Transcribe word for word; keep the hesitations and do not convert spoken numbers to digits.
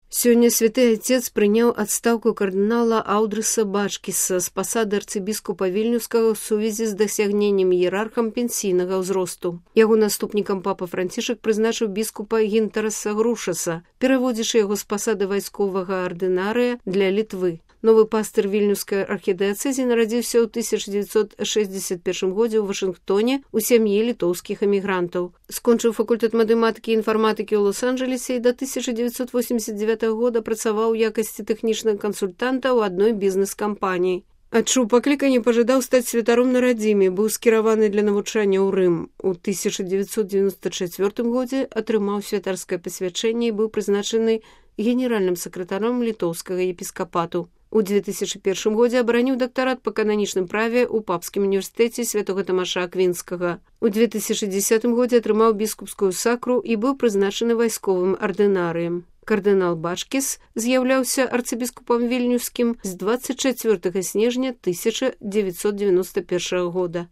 Сёння святы отец прыняў адстаўку кардынала Аўдрыса Бачкіса з пасады арцыбіскупа Вільнюскага ў сувязі з дасягненнем іерархам пенсійнага ўзросту. Яго наступнікам папа Францішак прызначыў біскупа Гінтараса Грушаса, пераводзячы яго з пасады вайсковага ардынарыя для Літвы. Новы пастыр вільнюскай архідыяцэзі нарадзіўся ў тысяча дзевяцьсот шэсцьдзесят першым годзе ў Вашынгтоне у сям'і літоўскіх эмігрантаў. Скончыў факультэт матэматыкі і інфарматыкі ў Лос-Анджелесе і да тысяча дзевяцьсот восемьдзесят дзевятага года працаваў у якасці тэхнічнага кансультанта ў адной бізнес-кампаніі. Адчуў пакліканне, пажадаў стаць святаром на радзіме, быў скіраваны для навучання ў Рым. У тысяча дзевяцьсот дзевяносто чацвёртым годзе атрымаў святарскае пасвячэнне і быў прызначаны генеральным сакратаром літоўскага епіскапату. У две тысячи першым годзе абараніў дактарат па кананічным праве ў папскім універсітэце святога Тамаша Аквінскага. У две тысячи дзесятым годзе атрымаў біскупскую сакру і быў прызначаны вайсковым ардынарыем. Кардынал Бачкіс з'яўляўся арцыбіскупам вільнюскім з двадцать чацвёртага снежня тысяча дзевяцьсот девяносто першага года.